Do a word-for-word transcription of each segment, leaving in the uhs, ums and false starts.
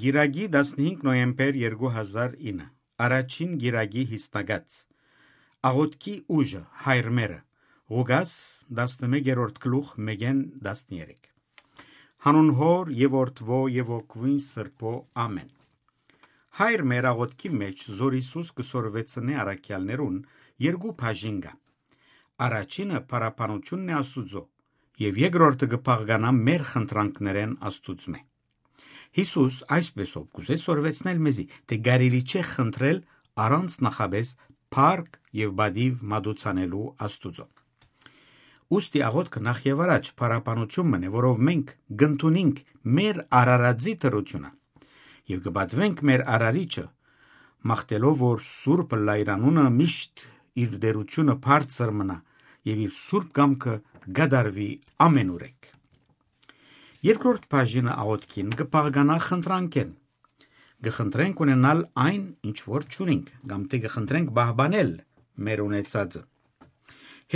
Կիրակի, տասնհինգ նոյեմբեր երկու հազար ինը, առաջին կիրակի յիսնակաց։ Աղօթքի ուժը, հայր մերը, Ղուկաս, տասնմեկերորդ գլուխ, մէկէն տասներեք։ Հանուն Հօր եւ Որդուոյ եւ Հոգւոյն Սրբոյ, ամէն։ Հայր մեր աղօթքի մէջ, զոր Յիսուս կը սորվեցնէ առաքեալներուն, երկու բաժին կայ։ Առաջինը փառաբանութիւնն է Աստուծոյ, եւ երկրորդը կը բաղկանայ մեր խնդրանքներէն Աստուծմէ։ Յիսուս այսպէսով կ'ուզէ սորվեցնել մեզի, թէ կարելի չէ խնդրել առանց նախապէս փառք եւ պատիւ մատուցանելու Աստուծոյ։ Ուստի աղօթքը նախ եւ առաջ փառաբանութիւն մըն է, որով մենք կ'ընդունինք մեր արարածի դրութիւնը եւ կը պատուենք մեր Արարիչը, մաղթելով որ Սուրբ ըլլայր անունը միշտ իր տէրութիւնը բարձր մնայ եւ իր սուրբ կամքը կատարուի ամէնուրեք։ Երկրորդ բաժինը աղօթքին կը բաղկանայ խնդրանքէն։ Կը խնդրենք ունենալ այն, ինչ որ չունինք, կամ թէ կը խնդրենք պահպանել մեր ունեցածը։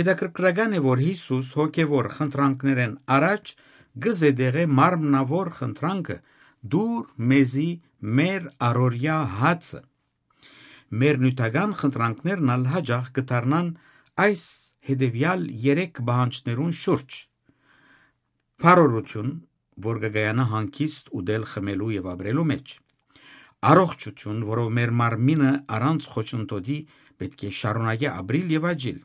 Հետաքրքրական է, որ Յիսուս հոգեվոր խնդրանքներէն առաջ կը զետեղէ մարմնաւոր խնդրանքը. «Տուր մեզի մեր առօրեայ հացը»։ Մեր նիւթական խնդրանքներն ալ յաճախ կը դառնան այս հետեւեալ երեք պահանջներուն շուրջ. փառօրութիւն, որ կը կայանայ հանգիստ ուտել, խմելու եւ ապրելու մէջ, առողջութիւն, որով մեր մարմինը առանց խոչընդոտի պէտք է շարունակէ ապրիլ եւ աճիլ,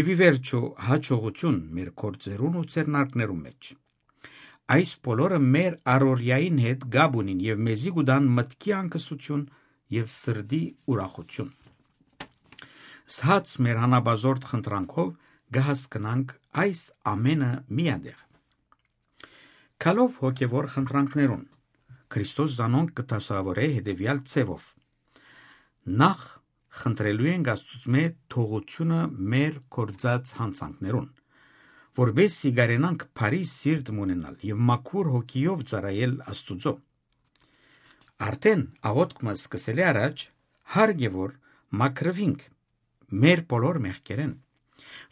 եւ ի վերջոյ յաջողութիւն մեր գործերուն ու ձեռնարկներուն մէջ։ Այս բոլորը մեր առօրեային հետ կապ ունին եւ մեզի կու տան մտքի անկստութիւն եւ սրտի ուրախութիւն։ Սհաց մեր հանապազորդ խնդրանքով կը հասկնանք այս ամէնը միատեղ։ Գալով հոգեվոր խնդրանքներուն, Քրիստոս զանոնք կը դասաւորէ հետեւեալ ձեւով. նախ, խնդրելու ենք Աստուծմէ թողութիւնը մեր գործած յանցանքներուն, որպէս զի կարենանք բարի սիրտ մը ունենալ եւ մաքուր հոգիով ծառայել Աստուծոյ։ Արդէն աղօթք մը սկսելէ առաջ, հարկ է որ մաքրուինք մեր բոլոր մեղքերէն,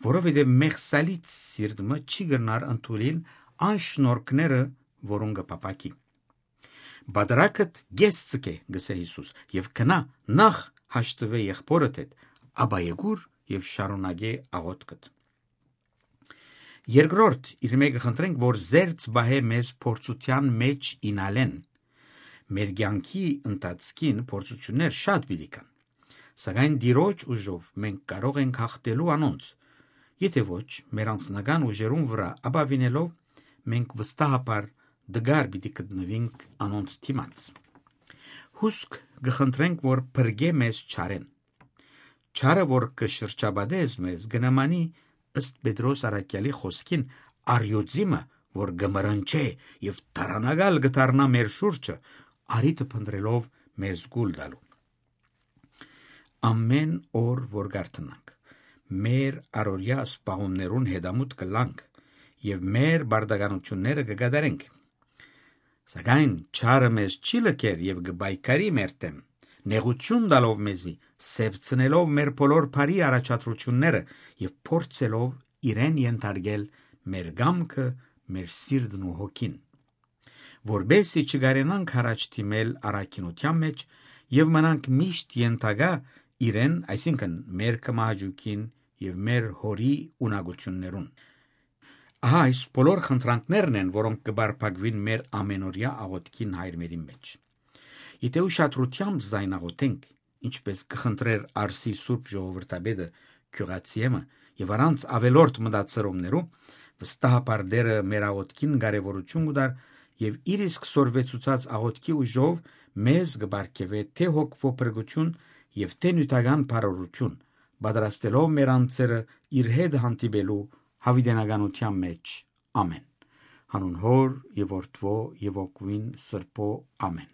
որովհետեւ մեղսալից սիրտ մը չի կրնար ընդունիլ այն շնորհքները, որուն կը փափաքի։ «Պատրակդ կես ձգէ», կ'ըսէ Յիսուս, «եւ գնա, նախ հաշտուէ եղբօրդ հետ, ապա եկուր եւ շարունակէ աղօթքդ»։ Երկրորդ, իր մէկը խնդրենք, որ զերծ պահէ մեզ փորձութեան մէջ իյնալէն։ Մեր կեանքի ընթացքին փորձութիւններ շատ պիտի կան, սակայն Տիրոջ ուժով մենք կարող ենք յաղթելու անոնց։ Եթէ ոչ, մեր անձնական ուժերուն վրայ ապաւինելով, մենք վստահաբար տկար պիտի գտնուինք անոնց դիմաց։ Հուսկ կը խնդրենք, որ փրկէ մեզ չարէն։ Չարը, որ կը շրջապատէ մեզ, կը նմանի, ըստ Պետրոս առաքեալի խօսքին, արիոծի մը, որ կը մրնչէ եւ տառանակալ կը դառնայ մեր շուրջը, առիթը փնտռելով մեզ կուլ տալու։ Ամէն օր որ կ'արթնանք, մեր առօրեայ սպասումներուն հետամուտ կ'ըլլանք եւ մեր պարտականութիւնները կը կատարենք։ Սակայն չարը մեզ չի լքեր եւ կը պայքարի մեր դէմ, նեղութիւն տալով մեզի, սեւցնելով մեր բոլոր բարի առաջադրութիւնները եւ փորձելով իրեն ենթարկել մեր կամքը, մեր սիրտն ու հոգին, որպէս զի չկարենանք յառաջ դիմել առաքինութեան մէջ եւ մնանք միշտ ենթակայ իրեն, այսինքն՝ մեր կմահաճույքին եւ մեր Հօրի ունակութիւններուն։ Ահա այս բոլոր խնդրանքներն են, որոնք կը պարփակուին մեր ամենօրեայ աղօթքին հայրմերին մէջ։ Եթէ ուշադրութեամբ զայն աղօթենք, ինչպես կը խնդրէր Արսի սուրբ ժողովրդապետը Գիւղացիէմը, եւ առանց ավելորդ մտածրումներու, վստահաբար Տէրը մեր աղօթքին կարեւորութիւն կու տար եւ իր իսկ սորվեցուցած աղօթքի ուժով մեզ կը պարգեւէ թէ հոգվոյ փրկութիւն եւ թէ նիւթական բարօրութիւն, պատրաստելով մեր անձերը իր հետ հանդիպելու յաւիտենականութեան մէջ։ Ամէն։ Հանուն Հօր եւ Որդուոյ եւ Հոգուին Սրբոյ։ Ամէն։